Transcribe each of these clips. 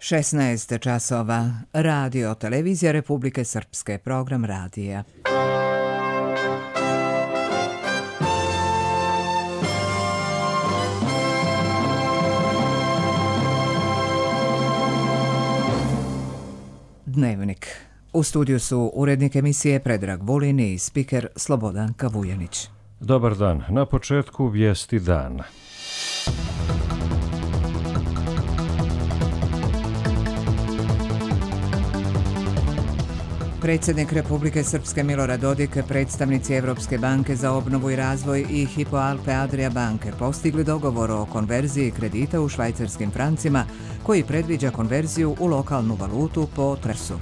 16 časova. Radio Televizija Republike Srpske. Program radija. Dnevnik. U studiju su urednik emisije Predrag Vulin i spiker Slobodanka Vujanić. Dobar dan. Na početku vijesti dana. Predsjednik Republike Srpske Milorad Dodik, predstavnici Evropske banke za obnovu i razvoj i Hypo Alpe Adria banke postigli dogovor o konverziji kredita u švajcarskim francima koji predviđa konverziju u lokalnu valutu po TRS-u.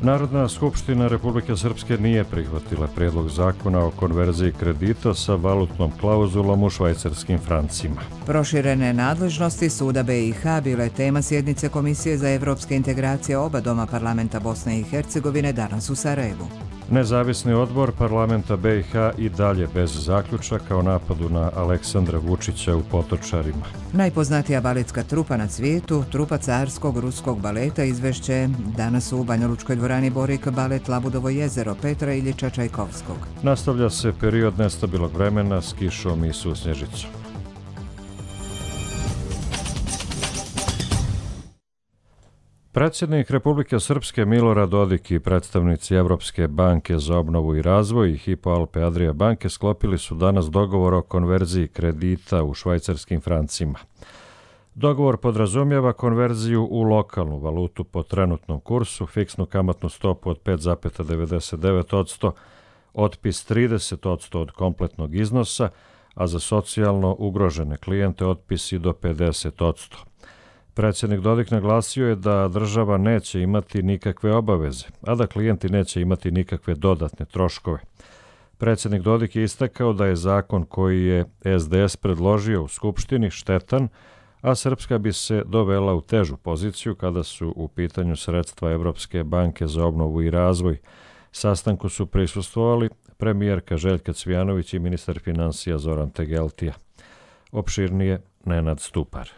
Narodna skupština Republike Srpske nije prihvatila prijedlog zakona o konverziji kredita sa valutnom klauzulom u švajcarskim francima. Proširene nadležnosti Suda BiH bile tema sjednice Komisije za evropske integracije oba doma parlamenta Bosne i Hercegovine danas u Sarajevu. Nezavisni odbor parlamenta BiH i dalje bez zaključaka o napadu na Aleksandra Vučića u Potočarima. Najpoznatija baletska trupa na svijetu, trupa carskog ruskog baleta, izvešće danas u Banjalučkoj dvorani Borik balet Labudovo jezero Petra Iljiča Čajkovskog. Nastavlja se period nestabilnog vremena s kišom i susnježicom. Predsjednik Republike Srpske Milorad Dodik i predstavnici Evropske banke za obnovu i razvoj i Hypo Alpe Adria banke sklopili su danas dogovor o konverziji kredita u švajcarskim francima. Dogovor podrazumijeva konverziju u lokalnu valutu po trenutnom kursu, fiksnu kamatnu stopu od 5,99%, otpis 30% od kompletnog iznosa, a za socijalno ugrožene klijente otpisi do 50%. Predsjednik Dodik naglasio je da država neće imati nikakve obaveze, a da klijenti neće imati nikakve dodatne troškove. Predsjednik Dodik je istakao da je zakon koji je SDS predložio u Skupštini štetan, a Srpska bi se dovela u težu poziciju kada su u pitanju sredstva Evropske banke za obnovu i razvoj. Sastanku su prisustvovali premijerka Željka Cvijanović i ministar financija Zoran Tegeltija. Opširnije Nenad Stupar.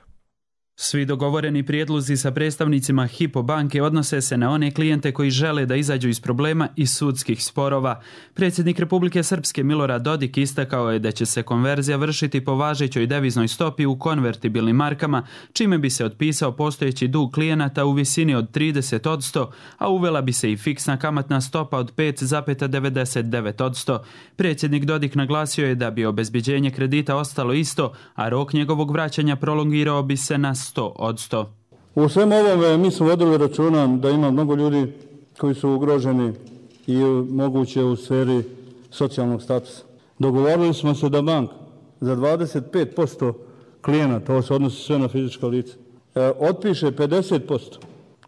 Svi dogovoreni prijedlozi sa predstavnicima Hypo banke odnose se na one klijente koji žele da izađu iz problema i sudskih sporova. Predsjednik Republike Srpske Milorad Dodik istakao je da će se konverzija vršiti po važećoj deviznoj stopi u konvertibilnim markama, čime bi se otpisao postojeći dug klijenata u visini od 30%, a uvela bi se i fiksna kamatna stopa od 5,99%. Predsjednik Dodik naglasio je da bi obezbeđenje kredita ostalo isto, a rok njegovog vraćanja prolongirao bi se na 100%. U svem ovome mi smo vodili računa da ima mnogo ljudi koji su ugroženi i moguće u sferi socijalnog statusa. Dogovorili smo se da banka za 25% klijenata, ovo se odnosi sve na fizička lica, otpiše 50%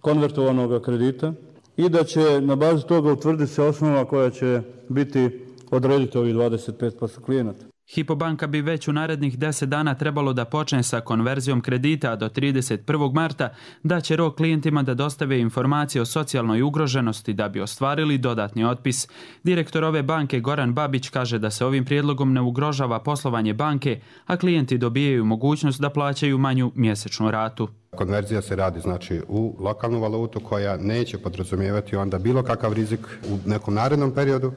konvertovanog kredita i da će na bazi toga utvrditi se osnova koja će biti odrediti ovih 25% klijenata. Hypo banka bi već u narednih 10 dana trebalo da počne sa konverzijom kredita, a do 31. marta da će rok klijentima da dostave informacije o socijalnoj ugroženosti da bi ostvarili dodatni otpis. Direktor ove banke Goran Babić kaže da se ovim prijedlogom ne ugrožava poslovanje banke, a klijenti dobijaju mogućnost da plaćaju manju mjesečnu ratu. Konverzija se radi znači u lokalnu valutu koja neće podrazumijevati onda bilo kakav rizik u nekom narednom periodu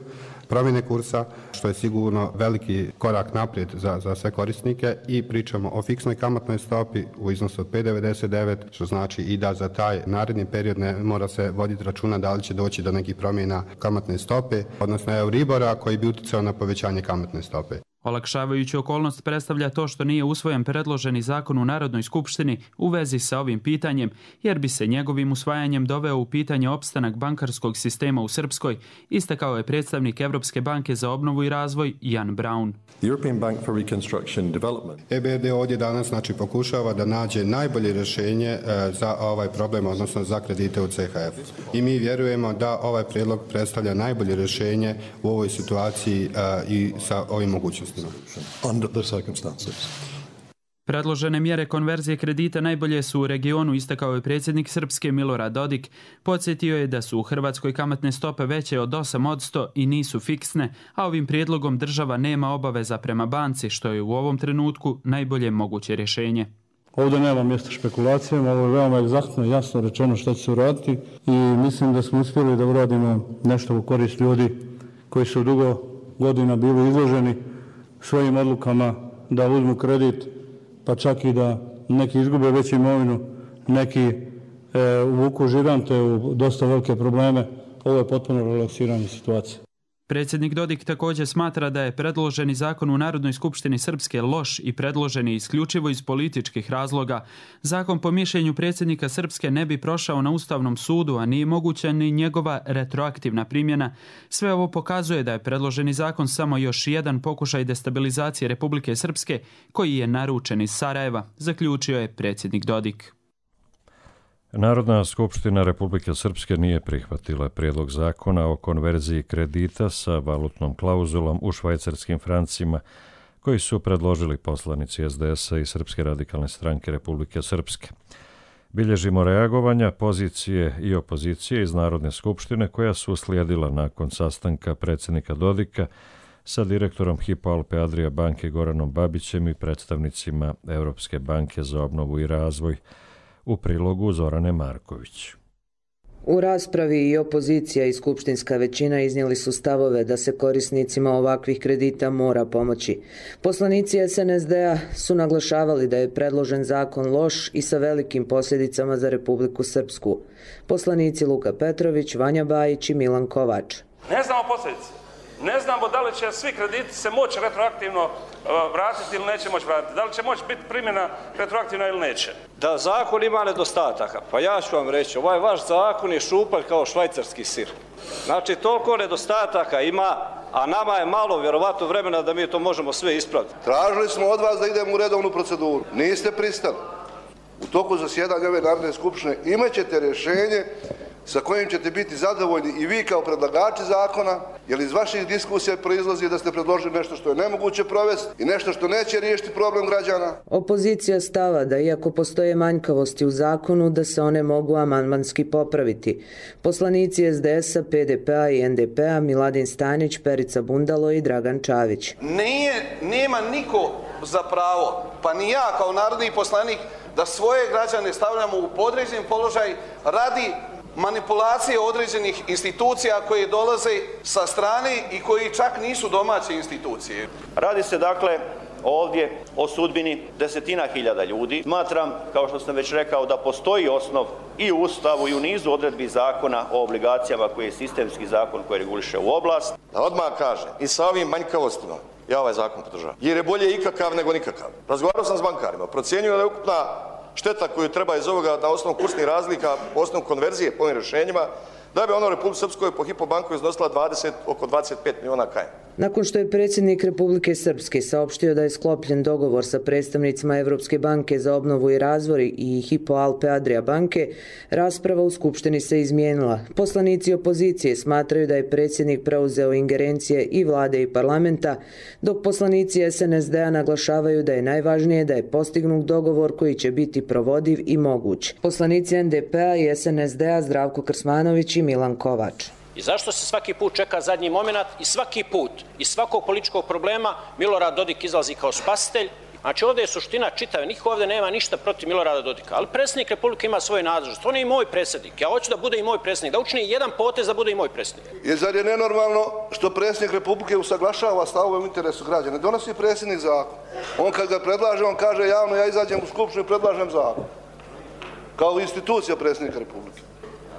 promjene kursa, što je sigurno veliki korak naprijed za sve korisnike, i pričamo o fiksnoj kamatnoj stopi u iznosu od 5,99, što znači i da za taj naredni period ne mora se voditi računa da li će doći do nekih promjena kamatne stope, odnosno Euribora koji bi utjecao na povećanje kamatne stope. Olakšavajući okolnost predstavlja to što nije usvojen predloženi zakon u Narodnoj skupštini u vezi sa ovim pitanjem, jer bi se njegovim usvajanjem doveo u pitanje opstanak bankarskog sistema u Srpskoj, istakao je predstavnik Evropske banke za obnovu i razvoj Jan Braun. EBRD ovdje danas pokušava da nađe najbolje rješenje za ovaj problem, odnosno za kredite u CHF. I mi vjerujemo da ovaj prijedlog predstavlja najbolje rješenje u ovoj situaciji i sa ovim mogućnostima. Predložene mjere konverzije kredita najbolje su u regionu, istakao je predsjednik Srpske Milorad Dodik. Podsjetio je da su u Hrvatskoj kamatne stope veće od 8% i nisu fiksne, a ovim prijedlogom država nema obaveza prema banci, što je u ovom trenutku najbolje moguće rješenje. Ovdje nema mjesta špekulacijama, ovo je veoma egzaktno i jasno rečeno što će se uraditi i mislim da smo uspjeli da uradimo nešto u korist ljudi koji su dugo godina bili izloženi svojim odlukama da uzmu kredit, pa čak i da neki izgube već imovinu, neki uvuku žigante u dosta velike probleme. Ovo je potpuno relaksiranje situacije. Predsjednik Dodik također smatra da je predloženi zakon u Narodnoj skupštini Srpske loš i predloženi isključivo iz političkih razloga. Zakon po mišljenju predsjednika Srpske ne bi prošao na Ustavnom sudu, a nije moguća ni njegova retroaktivna primjena. Sve ovo pokazuje da je predloženi zakon samo još jedan pokušaj destabilizacije Republike Srpske koji je naručen iz Sarajeva, zaključio je predsjednik Dodik. Narodna skupština Republike Srpske nije prihvatila prijedlog zakona o konverziji kredita sa valutnom klauzulom u švajcarskim francima koji su predložili poslanici SDS-a i Srpske radikalne stranke Republike Srpske. Bilježimo reagovanja pozicije i opozicije iz Narodne skupštine koja su uslijedila nakon sastanka predsjednika Dodika sa direktorom Hypo Alpe Adria banke Goranom Babićem i predstavnicima Europske banke za obnovu i razvoj, u prilogu Zorane Marković. U raspravi i opozicija i skupštinska većina iznijeli su stavove da se korisnicima ovakvih kredita mora pomoći. Poslanici SNSD-a su naglašavali da je predložen zakon loš i sa velikim posljedicama za Republiku Srpsku. Poslanici Luka Petrović, Vanja Bajić i Milan Kovač. Ne znamo posljedice. Ne znamo da li će svi krediti se moći retroaktivno vratiti ili neće moći vratiti. Da li će moći biti primjena retroaktivna ili neće. Da zakon ima nedostataka, pa ja ću vam reći, ovaj vaš zakon je šupalj kao švajcarski sir. Znači, toliko nedostataka ima, a nama je malo vjerovatno vremena da mi to možemo sve ispraviti. Tražili smo od vas da idemo u redovnu proceduru. Niste pristali. U toku zasjedanja ove Narodne skupštine imat ćete rješenje sa kojim ćete biti zadovoljni i vi kao predlagači zakona, jer iz vaših diskusija proizlazi da ste predložili nešto što je nemoguće provesti i nešto što neće riješiti problem građana. Opozicija stava da iako postoje manjkavosti u zakonu, da se one mogu amandmanski popraviti. Poslanici SDS-a, PDP-a i NDP-a Miladin Stanić, Perica Bundalo i Dragan Čavić. Nema niko za pravo, pa ni ja kao narodni poslanik, da svoje građane stavljamo u podređen položaj radi manipulacije određenih institucija koje dolaze sa strane i koji čak nisu domaće institucije. Radi se dakle ovdje o sudbini desetina hiljada ljudi. Smatram, kao što sam već rekao, da postoji osnov i u Ustavu i u nizu odredbi zakona o obligacijama koji je sistemski zakon koji reguliše u oblast. Da odmah kažem, i sa ovim manjkavostima ja ovaj zakon podržavam. Jer je bolje ikakav nego nikakav. Razgovarao sam s bankarima, procjenjuju da je ukupna šteta koju treba iz ovoga na osnovu kursnih razlika, po osnovu konverzije po ovim rješenjima, da bi ono u Republike Srpskoj po Hypo banku iznosila oko 25 miliona KM. Nakon što je predsjednik Republike Srpske saopštio da je sklopljen dogovor sa predstavnicima Europske banke za obnovu i razvoj i Hypo Alpe Adria banke, rasprava u Skupštini se izmijenila. Poslanici opozicije smatraju da je predsjednik preuzeo ingerencije i vlade i parlamenta, dok poslanici SNSD-a naglašavaju da je najvažnije da je postignut dogovor koji će biti provodiv i moguć. Poslanici NDP-a i SNSD-a Zdravko Krsmanović i Milan Kovač. I zašto se svaki put čeka zadnji moment i svaki put iz svakog političkog problema Milorad Dodik izlazi kao spasitelj? Znači ovdje je suština čitava, niko ovdje nema ništa protiv Milorada Dodika, ali predsjednik Republike ima svoje nadležnosti, on je i moj predsjednik, ja hoću da bude i moj predsjednik, da učini jedan potez da bude i moj predsjednik. I zar je nenormalno što predsjednik Republike usaglašava stavove u interesu građana? Donosi predsjednik zakon. On kad ga predlaže, on kaže javno ja izađem u skupštinu i predlažem zakon. Kao institucija predsjednika Republike.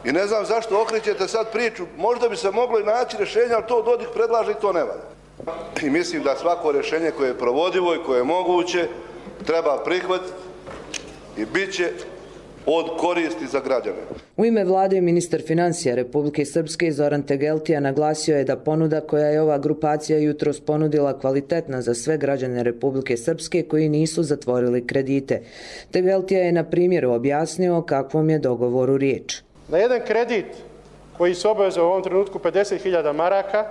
I ne znam zašto okrećete sad priču, možda bi se moglo i naći rješenje, ali to Dodik predlaže i to ne valja. I mislim da svako rješenje koje je provodivo i koje je moguće treba prihvatiti i bit će od koristi za građane. U ime vlade ministar financija Republike Srpske Zoran Tegeltija naglasio je da ponuda koja je ova grupacija jutros ponudila kvalitetna za sve građane Republike Srpske koji nisu zatvorili kredite. Tegeltija je na primjeru objasnio o kakvom je dogovoru riječ. Na jedan kredit koji se obavezao u ovom trenutku 50.000 maraka,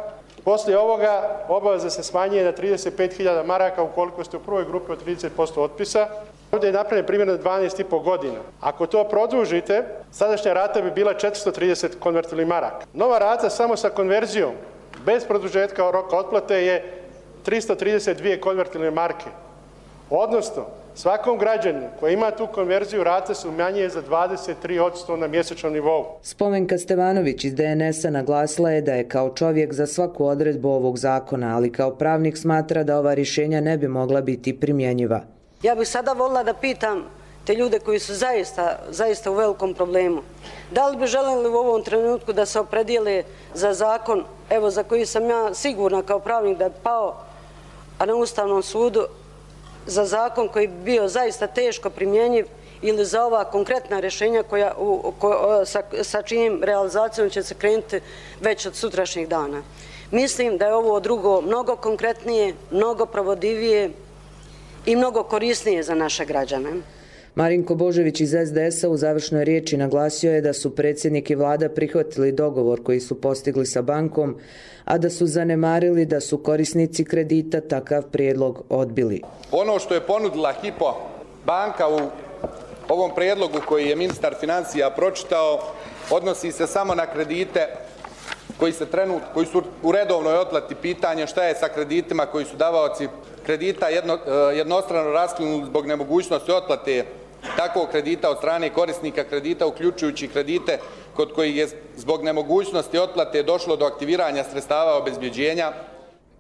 poslije ovoga obaveza se smanjuje na 35.000 maraka ukoliko ste u prvoj grupi od 30% otpisa. Ovdje je napravljen primjer na 12,5 godina. Ako to produžite, sadašnja rata bi bila 430 konvertibilnih maraka. Nova rata samo sa konverzijom, bez produžetka roka otplate je 332 konvertibilne marke. Odnosno, Svakom građaninu koji ima tu konverziju rata se umanjuje za 23% na mjesečnom nivou. Spomenka Stevanović iz DNS-a naglasila je da je kao čovjek za svaku odredbu ovog zakona, ali kao pravnik smatra da ova rješenja ne bi mogla biti primjenjiva. Ja bih sada volila da pitam te ljude koji su zaista u velikom problemu. Da li bi želeli u ovom trenutku da se opredijele za zakon, evo za koji sam ja sigurna kao pravnik da je pao, a na Ustavnom sudu, za zakon koji bi bio zaista teško primjenjiv ili za ova konkretna rješenja sa čijim realizacijom će se krenuti već od sutrašnjeg dana. Mislim da je ovo drugo mnogo konkretnije, mnogo provodivije i mnogo korisnije za naše građane. Marinko Božević iz SDS-a u završnoj riječi naglasio je da su predsjednik i vlada prihvatili dogovor koji su postigli sa bankom, a da su zanemarili da su korisnici kredita takav prijedlog odbili. Ono što je ponudila Hypo banka u ovom prijedlogu koji je ministar financija pročitao odnosi se samo na kredite koji su u redovnoj otplati. Pitanje šta je sa kreditima koji su davaoci kredita jednostrano raskinuti zbog nemogućnosti otplate takvog kredita od strane korisnika kredita, uključujući kredite kod kojih je zbog nemogućnosti otplate došlo do aktiviranja sredstava obezbjeđenja.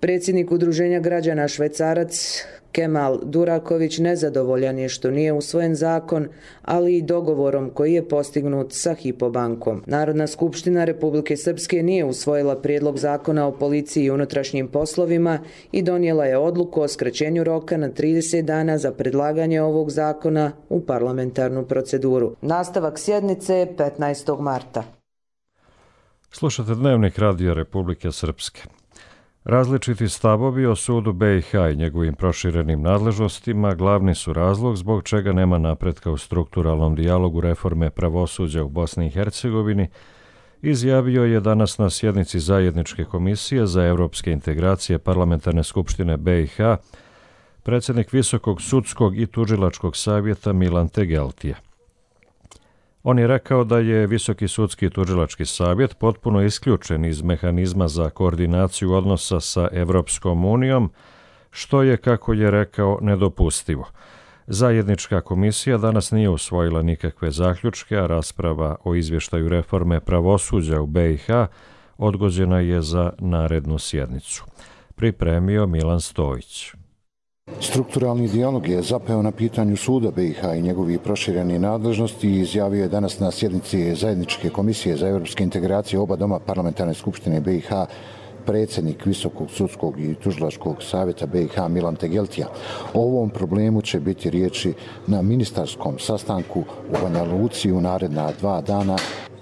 Predsjednik Udruženja građana Švecarac Kemal Duraković nezadovoljan je što nije usvojen zakon, ali i dogovorom koji je postignut sa Hypo bankom. Narodna skupština Republike Srpske nije usvojila prijedlog zakona o policiji i unutrašnjim poslovima i donijela je odluku o skraćenju roka na 30 dana za predlaganje ovog zakona u parlamentarnu proceduru. Nastavak sjednice je 15. marta. Slušate Dnevnik Radija Republike Srpske. Različiti stavovi o sudu BiH i njegovim proširenim nadležnostima glavni su razlog zbog čega nema napretka u strukturalnom dijalogu reforme pravosuđa u Bosni i Hercegovini, izjavio je danas na sjednici Zajedničke komisije za evropske integracije Parlamentarne skupštine BiH predsjednik Visokog sudskog i tužilačkog savjeta Milan Tegeltija. On je rekao da je Visoki sudski tužilački savjet potpuno isključen iz mehanizma za koordinaciju odnosa sa Evropskom unijom, što je, kako je rekao, nedopustivo. Zajednička komisija danas nije usvojila nikakve zaključke, a rasprava o izvještaju reforme pravosuđa u BiH odgođena je za narednu sjednicu. Pripremio Milan Stojić. Strukturalni dijalog je zapeo na pitanju suda BiH i njegovih proširenih nadležnosti i izjavio je danas na sjednici Zajedničke komisije za evropske integracije oba doma Parlamentarne skupštine BiH predsjednik Visokog sudskog i tužilačkog savjeta BiH Milan Tegeltija. O ovom problemu će biti riječi na ministarskom sastanku u Banja Luci u naredna 2 dana,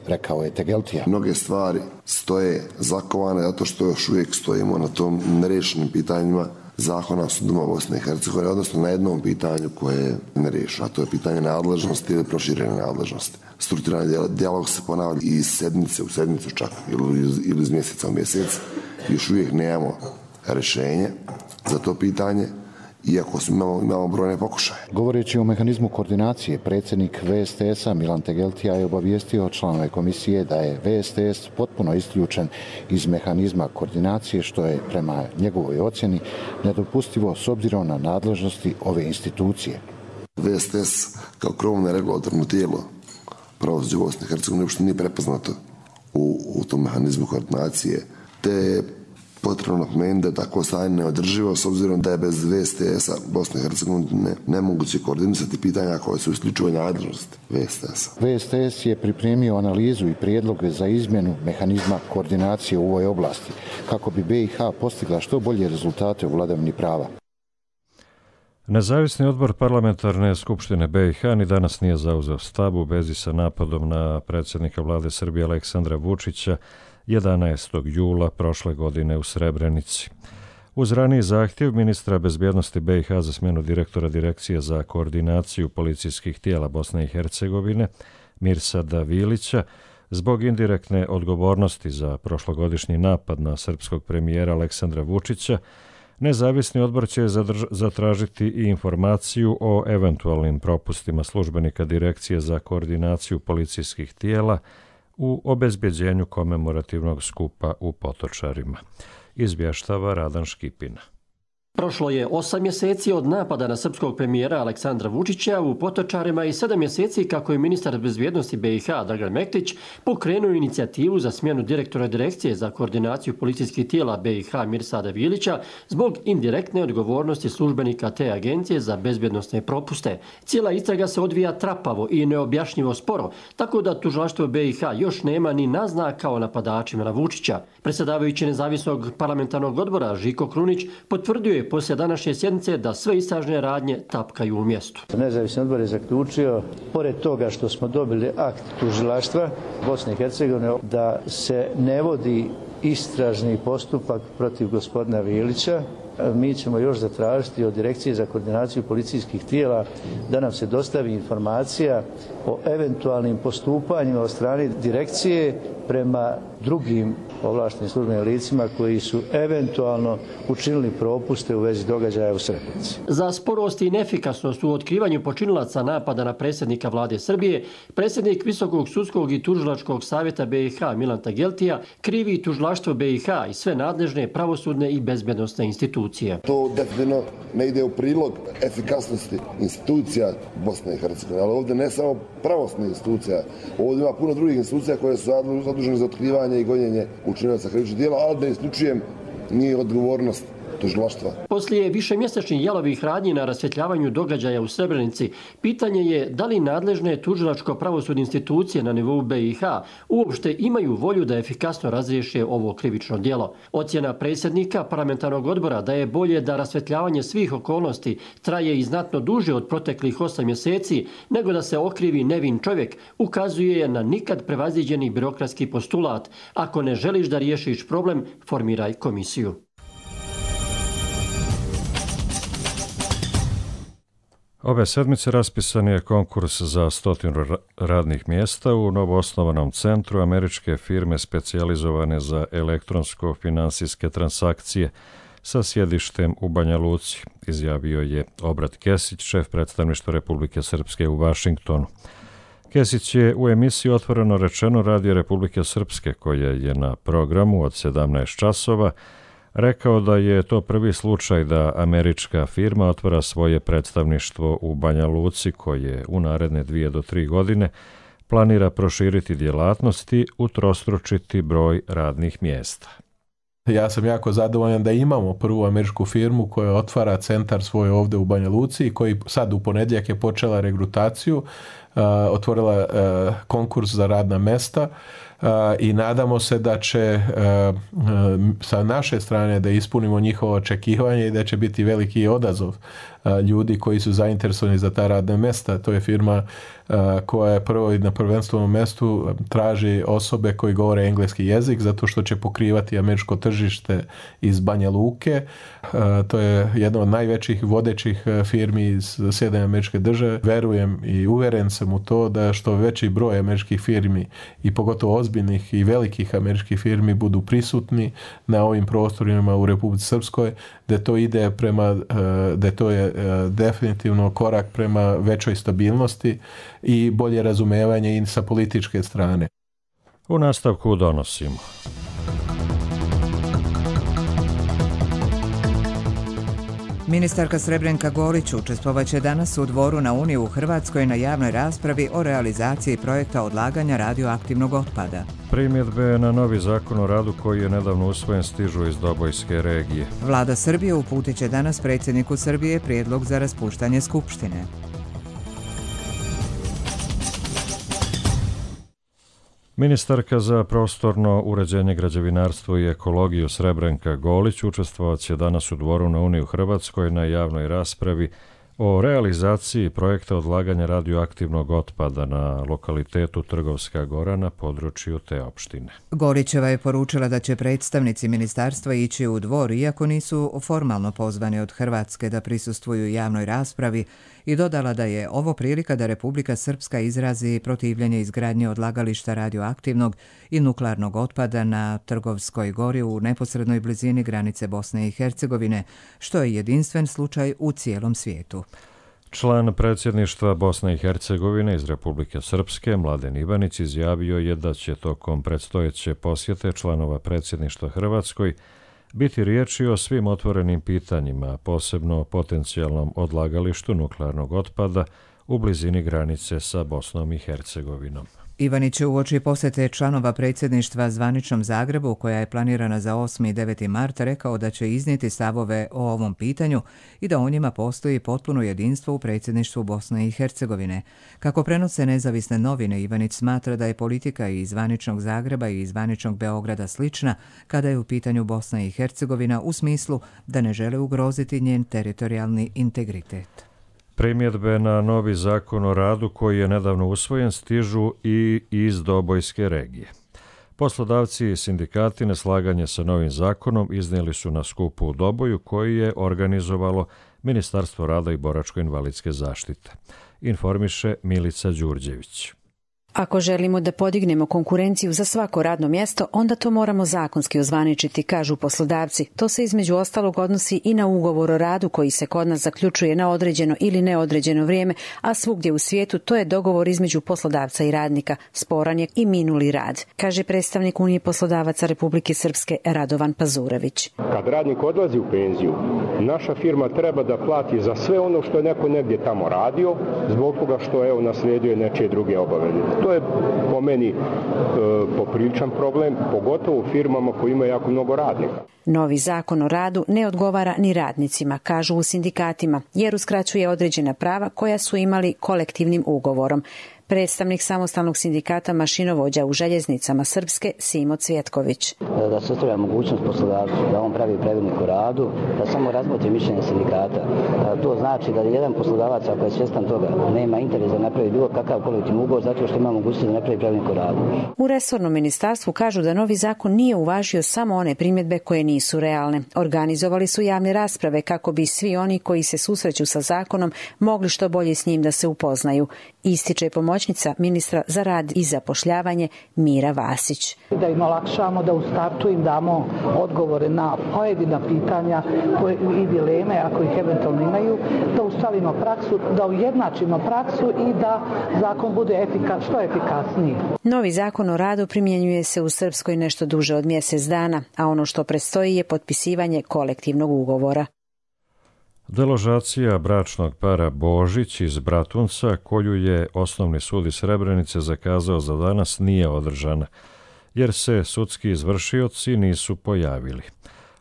rekao je Tegeltija. Mnoge stvari stoje zakovane zato što još uvijek stojimo na tom nerešenim pitanjima zakona o sudovima Bosne i Hercegovine, odnosno na jednom pitanju koje je nerešeno, a to je pitanje nadležnosti ili proširene nadležnosti. Strukturalni dijalog se ponavlja iz sedmice u sedmicu čak ili iz mjeseca u mjesec. Još uvijek nemamo rješenje za to pitanje, iako imamo brojne pokušaje. Govoreći o mehanizmu koordinacije, predsjednik VSTS-a Milan Tegeltija je obavijestio članove komisije da je VSTS potpuno isključen iz mehanizma koordinacije, što je prema njegovoj ocjeni nedopustivo s obzirom na nadležnosti ove institucije. VSTS kao krovno regulatorno tijelo pravosuđa Bosne i Hercegovine uopšte nije prepoznato u tom mehanizmu koordinacije, te potrebno napomenuti da je takvo stanje neodrživo s obzirom da je bez VSTS-a Bosne i Hercegovine nemoguće koordinisati pitanja koje su isključivo nadležnosti VSTS-a. VSTS je pripremio analizu i prijedloge za izmjenu mehanizma koordinacije u ovoj oblasti, kako bi BiH postigla što bolje rezultate u vladavini prava. Nezavisni odbor Parlamentarne skupštine BiH ni danas nije zauzeo stav u vezi sa napadom na predsjednika vlade Srbije Aleksandra Vučića 11. jula prošle godine u Srebrenici. Uz raniji zahtjev ministra bezbjednosti BiH za smjenu direktora Direkcije za koordinaciju policijskih tijela Bosne i Hercegovine Mirsada Vilića zbog indirektne odgovornosti za prošlogodišnji napad na srpskog premijera Aleksandra Vučića, nezavisni odbor će zatražiti i informaciju o eventualnim propustima službenika Direkcije za koordinaciju policijskih tijela u obezbjeđenju komemorativnog skupa u Potočarima. Izvještava Radan Škipina. Prošlo je 8 mjeseci od napada na srpskog premijera Aleksandra Vučića u Potočarima i 7 mjeseci kako je ministar bezbjednosti BiH Dragan Mektić pokrenuo inicijativu za smjenu direktora Direkcije za koordinaciju policijskih tijela BiH Mirsada Vilića zbog indirektne odgovornosti službenika te agencije za bezbjednosne propuste. Cijela istraga se odvija trapavo i neobjašnjivo sporo, tako da tužilaštvo BiH još nema ni naznaka o napadačima na Vučića. Predsjedavajući nezavisnog parlamentarnog odbora Žiko Krunić potvrdio je poslije današnje sjednice da sve istražne radnje tapkaju u mjestu. Nezavisni odbor je zaključio, pored toga što smo dobili akt tužilaštva Bosne i Hercegovine, da se ne vodi istražni postupak protiv gospodina Vilića. Mi ćemo još zatražiti od Direkcije za koordinaciju policijskih tijela da nam se dostavi informacija o eventualnim postupanjima od strane direkcije prema drugim ovlaštenim službenim licima koji su eventualno učinili propuste u vezi događaja u Srebrenici. Za sporost i neefikasnost u otkrivanju počinilaca napada na predsjednika vlade Srbije, predsjednik Visokog sudskog i tužilačkog savjeta BiH Milan Tageltija krivi tužilaštvo BiH i sve nadležne pravosudne i bezbednosne institucije. To definitivno ne ide u prilog efikasnosti institucija Bosne i Hercegovine, ali ovdje ne samo pravosudne institucija, ovdje ima puno drugih institucija koje su zadužene za otkrivanje i gonjenje učinilaca krivičnih djela, ali da isključujem nije odgovornost tužilaštva. Poslije višemjesečnih jalovih radnji na rasvjetljavanju događaja u Srebrenici, pitanje je da li nadležne tužilačko-pravosudne institucije na nivou BiH uopšte imaju volju da efikasno razriješe ovo krivično djelo. Ocjena predsjednika parlamentarnog odbora da je bolje da rasvjetljavanje svih okolnosti traje i znatno duže od proteklih 8 mjeseci nego da se okrivi nevin čovjek ukazuje na nikad prevaziđeni birokratski postulat: ako ne želiš da riješiš problem, formiraj komisiju. Ove sedmice raspisan je konkurs za 100 radnih mjesta u novoosnovanom centru američke firme specijalizovane za elektronsko-finansijske transakcije sa sjedištem u Banja Luci, izjavio je Obrat Kesić, šef predstavništva Republike Srpske u Vašingtonu. Kesić je u emisiji Otvoreno rečeno Radio Republike Srpske, koja je na programu od 17 časova, rekao da je to prvi slučaj da američka firma otvara svoje predstavništvo u Banja Luci, koje u naredne 2 do 3 godine planira proširiti djelatnosti i utrostručiti broj radnih mjesta. Ja sam jako zadovoljan da imamo prvu američku firmu koja otvara centar svoj ovdje u Banja Luci i koji sad u ponedjeljak je počela regrutaciju, otvorila konkurs za radna mesta i nadamo se da će sa naše strane da ispunimo njihovo očekivanje i da će biti veliki odazov ljudi koji su zainteresovani za ta radna mjesta. To je firma koja je prvo i na prvenstvenom mjestu traži osobe koji govore engleski jezik zato što će pokrivati američko tržište iz Banja Luke. To je jedna od najvećih vodećih firmi iz Sjedinjenih Američke Države. Verujem i uvjeren sam u to da što veći broj američkih firmi i pogotovo ozbiljnih i velikih američkih firmi budu prisutni na ovim prostorima u Republici Srpskoj, da to ide prema, da to je definitivno korak prema većoj stabilnosti i bolje razumevanje i sa političke strane. U nastavku donosimo. Ministarka Srebrenka Golić učestvovaće danas u Dvoru na Uniji u Hrvatskoj na javnoj raspravi o realizaciji projekta odlaganja radioaktivnog otpada. Primjedbe na novi zakon o radu koji je nedavno usvojen stižu iz Dobojske regije. Vlada Srbije uputit će danas predsjedniku Srbije prijedlog za raspuštanje Skupštine. Ministarka za prostorno uređenje, građevinarstvo i ekologiju Srebrenka Golić učestvovat će danas u Dvoru na Uniji u Hrvatskoj na javnoj raspravi o realizaciji projekta odlaganja radioaktivnog otpada na lokalitetu Trgovska Gora na području te opštine. Golićeva je poručila da će predstavnici ministarstva ići u Dvor, iako nisu formalno pozvani od Hrvatske da prisustvuju javnoj raspravi, i dodala da je ovo prilika da Republika Srpska izrazi protivljenje izgradnje odlagališta radioaktivnog i nuklearnog otpada na Trgovskoj Gori u neposrednoj blizini granice Bosne i Hercegovine, što je jedinstven slučaj u cijelom svijetu. Član predsjedništva Bosne i Hercegovine iz Republike Srpske, Mladen Ivanić, izjavio je da će tokom predstojeće posjete članova predsjedništva Hrvatskoj biti riječi o svim otvorenim pitanjima, posebno o potencijalnom odlagalištu nuklearnog otpada u blizini granice sa Bosnom i Hercegovinom. Ivanić je uoči posjete članova predsjedništva zvaničnom Zagrebu, koja je planirana za 8. i 9. mart, rekao da će iznijeti stavove o ovom pitanju i da o njima postoji potpuno jedinstvo u predsjedništvu Bosne i Hercegovine. Kako prenose nezavisne novine, Ivanić smatra da je politika i zvaničnog Zagreba i zvaničnog Beograda slična kada je u pitanju Bosna i Hercegovina, u smislu da ne žele ugroziti njen teritorijalni integritet. Primjedbe na novi zakon o radu koji je nedavno usvojen stižu i iz Dobojske regije. Poslodavci i sindikati neslaganje sa novim zakonom iznijeli su na skupu u Doboju koji je organizovalo Ministarstvo rada i boračko-invalidske zaštite. Informiše Milica Đurđević. Ako želimo da podignemo konkurenciju za svako radno mjesto, onda to moramo zakonski ozvaničiti, kažu poslodavci. To se između ostalog odnosi i na ugovor o radu koji se kod nas zaključuje na određeno ili neodređeno vrijeme, a svugdje u svijetu to je dogovor između poslodavca i radnika. Sporan je i minuli rad, kaže predstavnik Unije poslodavaca Republike Srpske Radovan Pazurević. Kad radnik odlazi u penziju, naša firma treba da plati za sve ono što je neko negdje tamo radio, zbog toga što je naslijedio nečije druge obaveze. To je po meni popriličan problem, pogotovo u firmama koji imaju jako mnogo radnika. Novi zakon o radu ne odgovara ni radnicima, kažu u sindikatima, jer uskraćuje određena prava koja su imali kolektivnim ugovorom. Predstavnik samostalnog sindikata mašinovođa u željeznicama Srpske Simo Cvjetković. Da se ostavlja mogućnost poslodavcu da on pravi pravilnik o radu, da samo razmotri mišljenje sindikata. To znači da jedan poslodavac, ako je svjestan toga, nema interes da napravi bilo kakav kolektivni ugovor zato što ima mogućnost da napravi pravilnik o radu. U resornom ministarstvu kažu da novi zakon nije uvažio samo one primjedbe koje nisu realne. Organizovali su javne rasprave kako bi svi oni koji se susreću sa zakonom mogli što bolje s njim da se upoznaju. Ističe pomoćnica ministra za rad i zapošljavanje Mira Vasić. Da im olakšamo, da u startu im damo odgovore na pojedina pitanja i dileme ako ih eventualno imaju, da ustavimo praksu, da ujednačimo praksu i da zakon bude što efikasniji. Novi zakon o radu primjenjuje se u Srpskoj nešto duže od mjesec dana, a ono što predstoji je potpisivanje kolektivnog ugovora. Deložacija bračnog para Božić iz Bratunca, koju je Osnovni sud iz Srebrenice zakazao za danas, nije održana, jer se sudski izvršioci nisu pojavili.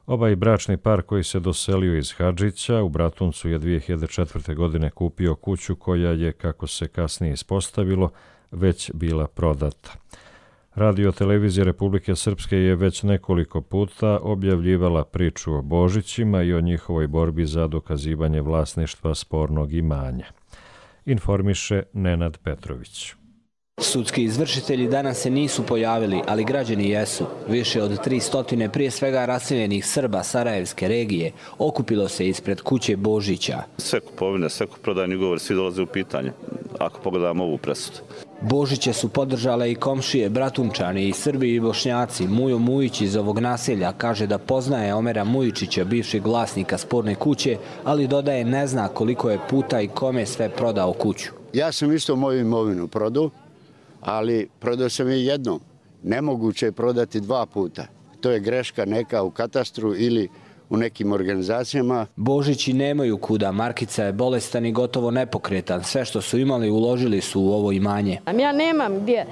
Ovaj bračni par koji se doselio iz Hadžića u Bratuncu je 2004. godine kupio kuću koja je, kako se kasnije ispostavilo, već bila prodata. Radio televizija Republike Srpske je već nekoliko puta objavljivala priču o Božićima i o njihovoj borbi za dokazivanje vlasništva spornog imanja. Informiše Nenad Petrović. Sudski izvršitelji danas se nisu pojavili, ali građani jesu. Više od 300 prije svega raseljenih Srba Sarajevske regije okupilo se ispred kuće Božića. Sve kupovine, sve kuprodajni ugovori, svi dolaze u pitanje, ako pogledamo ovu presudu. Božiće su podržale i komšije, Bratunčani i Srbi i Bošnjaci. Mujo Mujić iz ovog naselja kaže da poznaje Omera Mujičića, bivšeg vlasnika sporne kuće, ali dodaje ne zna koliko je puta i kome sve prodao kuću. Ja sam isto moju imovinu prodao, ali prodao sam je jednom. Nemoguće je prodati dva puta. To je greška neka u katastru ili u nekim organizacijama. Božići nemaju kuda, Markica je bolestan i gotovo nepokretan. Sve što su imali uložili su u ovo imanje. Ja nemam gdje,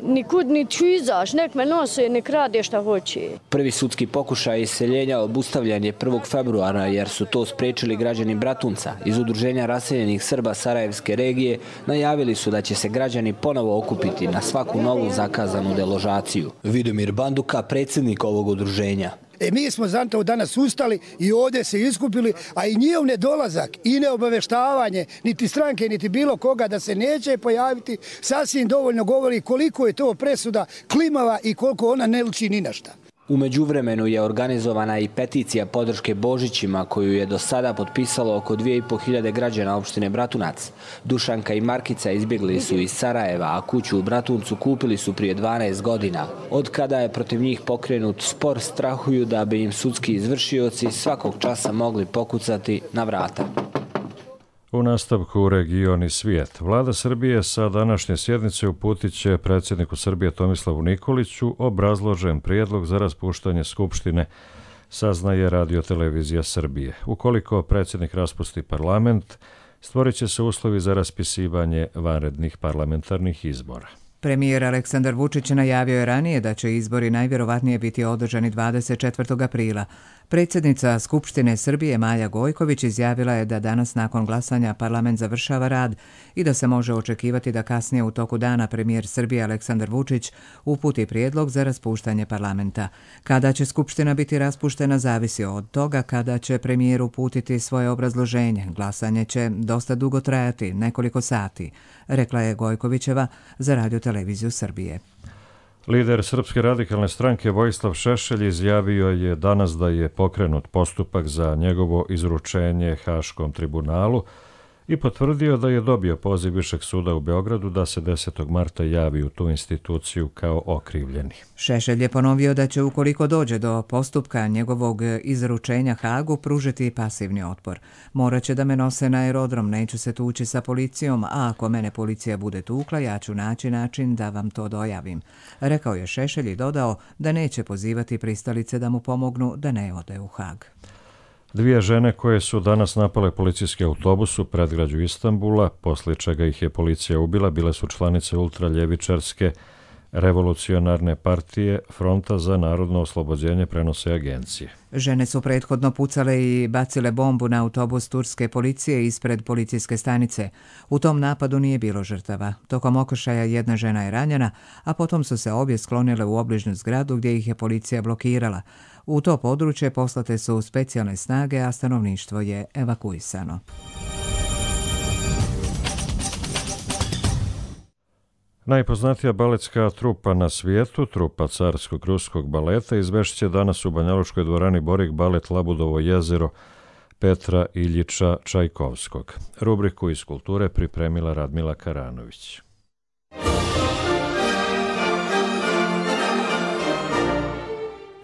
nikud ni ću izaš, nek me nose, nek rade šta hoće. Prvi sudski pokušaj iseljenja obustavljan je 1. februara jer su to spriječili građani Bratunca. Iz Udruženja raseljenih Srba Sarajevske regije najavili su da će se građani ponovo okupiti na svaku novu zakazanu deložaciju. Vidomir Banduka, predsjednik ovog udruženja. Mi smo zato danas ustali i ovdje se iskupili, a i njihov nedolazak i neobaveštavanje niti stranke, niti bilo koga da se neće pojaviti, sasvim dovoljno govori koliko je to presuda klimava i koliko ona ne liči ni na šta. U međuvremenu je organizovana i peticija podrške Božićima koju je do sada potpisalo oko 2500 građana opštine Bratunac. Dušanka i Markica izbjegli su iz Sarajeva, a kuću u Bratuncu kupili su prije 12 godina. Od kada je protiv njih pokrenut spor, strahuju da bi im sudski izvršioci svakog časa mogli pokucati na vrata. U nastavku region i svijet. Vlada Srbije sa današnje sjednice uputit će predsjedniku Srbije Tomislavu Nikoliću obrazložen prijedlog za raspuštanje Skupštine, saznaje Radio-televizija Srbije. Ukoliko predsjednik raspusti parlament, stvorit će se uslovi za raspisivanje vanrednih parlamentarnih izbora. Premijer Aleksandar Vučić najavio je ranije da će izbori najvjerovatnije biti održani 24. aprila. Predsjednica Skupštine Srbije Maja Gojković izjavila je da danas nakon glasanja parlament završava rad i da se može očekivati da kasnije u toku dana premijer Srbije Aleksandar Vučić uputi prijedlog za raspuštanje parlamenta. Kada će Skupština biti raspuštena zavisi od toga kada će premijer uputiti svoje obrazloženje. Glasanje će dosta dugo trajati, nekoliko sati, rekla je Gojkovićeva za Radio-televiziju Srbije. Lider Srpske radikalne stranke Vojislav Šešelj izjavio je danas da je pokrenut postupak za njegovo izručenje Haškom tribunalu i potvrdio da je dobio poziv Višeg suda u Beogradu da se 10. marta javi u tu instituciju kao okrivljeni. Šešelj je ponovio da će ukoliko dođe do postupka njegovog izručenja Hagu pružiti pasivni otpor. Morat će da me nose na aerodrom, neću se tući sa policijom, a ako mene policija bude tukla, ja ću naći način da vam to dojavim. Rekao je Šešelj i dodao da neće pozivati pristalice da mu pomognu da ne ode u Hag. Dvije žene koje su danas napale policijski autobus u predgrađu Istanbula, poslije čega ih je policija ubila, bile su članice ultraljevičarske revolucionarne partije Fronta za narodno oslobođenje, prenose agencije. Žene su prethodno pucale i bacile bombu na autobus turske policije ispred policijske stanice. U tom napadu nije bilo žrtava. Tokom okršaja jedna žena je ranjena, a potom su se obje sklonile u obližnju zgradu gdje ih je policija blokirala. U to područje poslate su specijalne snage, a stanovništvo je evakuisano. Najpoznatija baletska trupa na svijetu, trupa Carskog ruskog baleta, izvešće danas u Banjalučkoj dvorani Borik balet Labudovo jezero Petra Iljiča Čajkovskog. Rubriku iz kulture pripremila Radmila Karanović.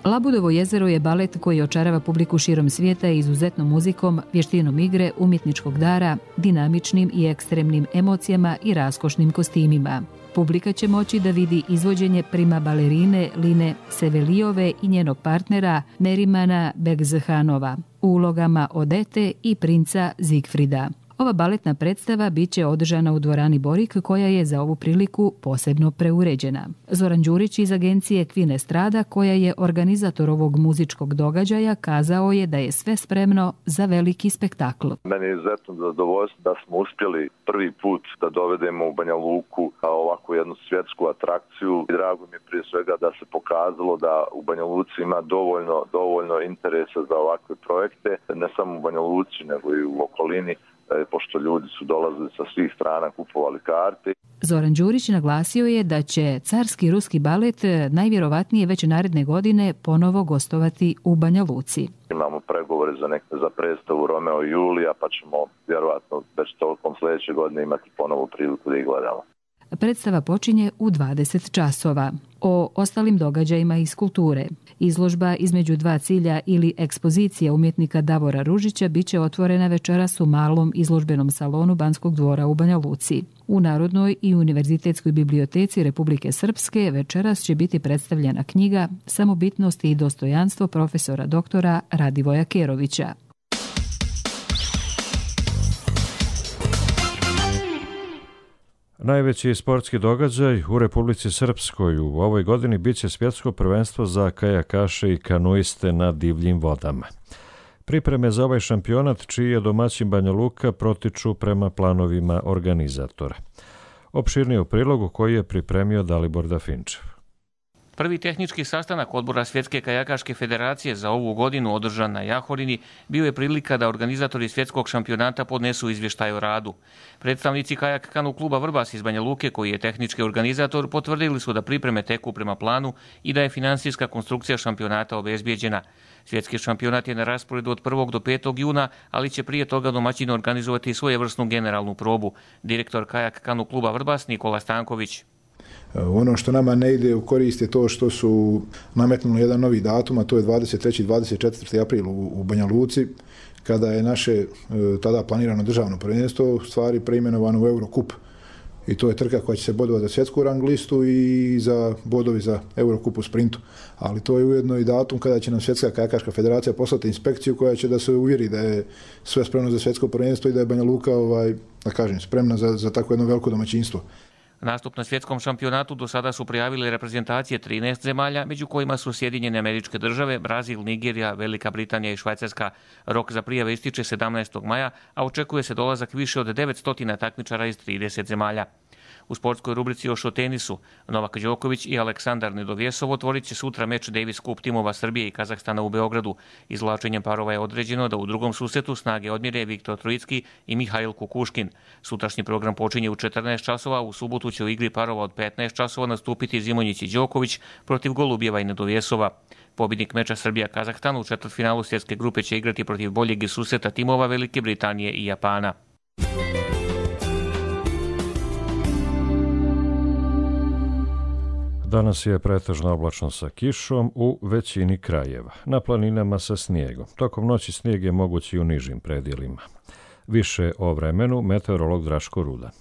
Labudovo jezero je balet koji očarava publiku širom svijeta izuzetnom muzikom, vještinom igre, umjetničkog dara, dinamičnim i ekstremnim emocijama i raskošnim kostimima. Publika će moći da vidi izvođenje prima balerine Line Sevelijove i njenog partnera Nerimana Begzhanova u ulogama Odete i princa Zigfrida. Ova baletna predstava bit će održana u dvorani Borik, koja je za ovu priliku posebno preuređena. Zoran Đurić iz agencije Kvin Estrada, koja je organizator ovog muzičkog događaja, kazao je da je sve spremno za veliki spektakl. Meni je izuzetno zadovoljstvo da smo uspjeli prvi put da dovedemo u Banja Luku ovakvu jednu svjetsku atrakciju. I drago mi je prije svega da se pokazalo da u Banja Luci ima dovoljno interesa za ovakve projekte, ne samo u Banja Luci nego i u okolini, pošto ljudi su dolazili sa svih strana, kupovali karte. Zoran Đurić naglasio je da će Carski ruski balet najvjerovatnije već naredne godine ponovo gostovati u Banja Luci. Imamo pregovore za predstavu Romeo i Julija, pa ćemo vjerovatno već tokom sljedeće godine imati ponovo priliku da ih gledamo. Predstava počinje u 20 časova. O ostalim događajima iz kulture. Izložba između dva cilja ili ekspozicija umjetnika Davora Ružića bit će otvorena večeras u malom izložbenom salonu Banskog dvora u Banja Luci. U Narodnoj i Univerzitetskoj biblioteci Republike Srpske večeras će biti predstavljena knjiga Samobitnost i dostojanstvo profesora doktora Radivoja Kerovića. Najveći sportski događaj u Republici Srpskoj u ovoj godini biće svjetsko prvenstvo za kajakaše i kanuiste na divljim vodama. Pripreme za ovaj šampionat, čiji je domaćin Banja Luka, protiču prema planovima organizatora. Opširnije u prilogu koji je pripremio Dalibor Dafinčev. Prvi tehnički sastanak odbora Svjetske kajakaške federacije za ovu godinu održan na Jahorini bio je prilika da organizatori svjetskog šampionata podnesu izvještaj o radu. Predstavnici kajak kanu kluba Vrbas iz Banja Luke, koji je tehnički organizator, potvrdili su da pripreme teku prema planu i da je finansijska konstrukcija šampionata obezbijeđena. Svjetski šampionat je na rasporedu od 1. do 5. juna, ali će prije toga domaćin organizovati svojevrsnu generalnu probu. Direktor kajak kanu kluba Vrbas Nikola Stanković. Ono što nama ne ide u korist je to što su nametnuli jedan novi datum, a to je 23. i 24. april u Banja Luci, kada je naše tada planirano državno prvenstvo u stvari preimenovano u Eurocup. I to je trka koja će se bodovati za svjetsku rang listu i za bodovi za Eurocup u sprintu. Ali to je ujedno i datum kada će nam Svjetska kajakaška federacija poslati inspekciju koja će da se uvjeri da je sve spremno za svjetsko prvenstvo i da je Banja Luka spremna za takvo jedno veliko domaćinstvo. Nastup na svjetskom šampionatu do sada su prijavili reprezentacije 13 zemalja, među kojima su Sjedinjene Američke Države, Brazil, Nigerija, Velika Britanija i Švajcarska. Rok za prijave ističe 17. maja, a očekuje se dolazak više od 900 takmičara iz 30 zemalja. U sportskoj rubrici još o tenisu, Novak Đoković i Aleksandar Nedovjesov otvorit će sutra meč Davis Cup timova Srbije i Kazahstana u Beogradu. Izvlačenjem parova je određeno da u drugom susretu snage odmjere Viktor Trojicki i Mihail Kukuškin. Sutrašnji program počinje u 14 časova, u subotu će u igri parova od 15 časova nastupiti Zimonjić i Đoković protiv Golubjeva i Nedovjesova. Pobjednik meča Srbija-Kazahstan u četvrtfinalu svjetske grupe će igrati protiv boljeg susreta timova Velike Britanije i Japana. Danas je pretežno oblačno sa kišom u većini krajeva, na planinama sa snijegom. Tokom noći snijeg je moguć i u nižim predjelima. Više o vremenu meteorolog Draško Rudan.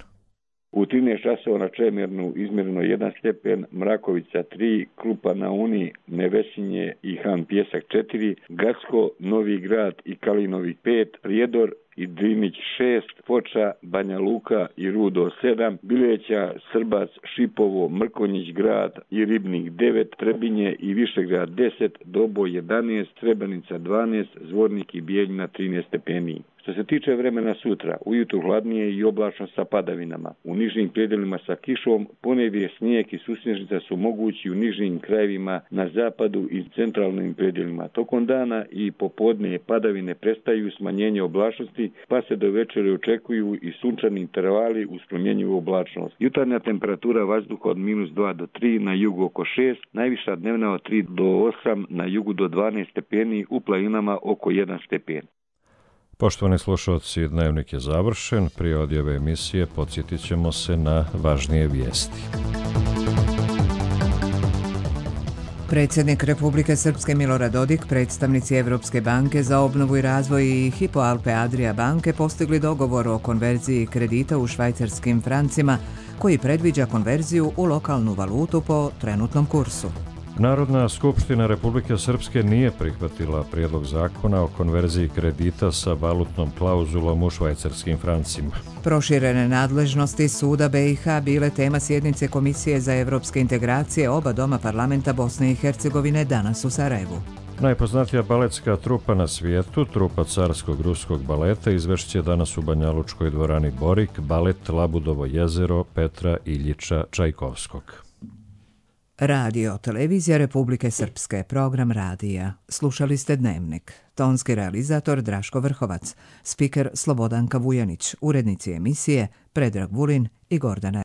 U 13 časova na Čemernu izmjereno 1 stepen, Mrakovica 3, Krupa na Uni, Nevesinje i Han Pjesak 4, Gacko, Novi Grad i Kalinovi 5, Prijedor i Drinić 6, Foča, Banja Luka i Rudo 7, Bileća, Srbac, Šipovo, Mrkonjić grad i Ribnik 9, Trebinje i Višegrad 10, Doboj 11, Srebrenica 12, Zvornik i Bijeljina 13 stepeni. Što se tiče vremena sutra, ujutro hladnije i oblačno sa padavinama. U nižim predjelima sa kišom, ponegdje snijeg i susnježnica su mogući u nižim krajevima na zapadu i centralnim predjelima. Tokom dana i popodne padavine prestaju, smanjenje oblačnosti, pa se do večeri očekuju i sunčani intervali uz promjenjivu oblačnost. Jutarnja temperatura vazduha od -2 do 3, na jugu oko 6, najviša dnevna od 3 do 8, na jugu do 12 stepeni, u planinama oko 1 stepen. Poštovani slušalci, dnevnik je završen. Prije odjave emisije podsjetit ćemo se na važnije vijesti. Predsjednik Republike Srpske Milorad Dodik, predstavnici Evropske banke za obnovu i razvoj i Hypo Alpe Adria banke postigli dogovor o konverziji kredita u švajcarskim francima koji predviđa konverziju u lokalnu valutu po trenutnom kursu. Narodna skupština Republike Srpske nije prihvatila prijedlog zakona o konverziji kredita sa valutnom klauzulom u švajcarskim francima. Proširene nadležnosti Suda BiH bile tema sjednice Komisije za evropske integracije oba doma parlamenta Bosne i Hercegovine danas u Sarajevu. Najpoznatija baletska trupa na svijetu, trupa Carskog ruskog baleta, izvešće danas u Banjalučkoj dvorani Borik balet Labudovo jezero Petra Iljiča Čajkovskog. Radio, televizija Republike Srpske, program radija. Slušali ste Dnevnik. Tonski realizator Draško Vrhovac, spiker Slobodanka Vujanić, urednici emisije Predrag Vulin i Gordana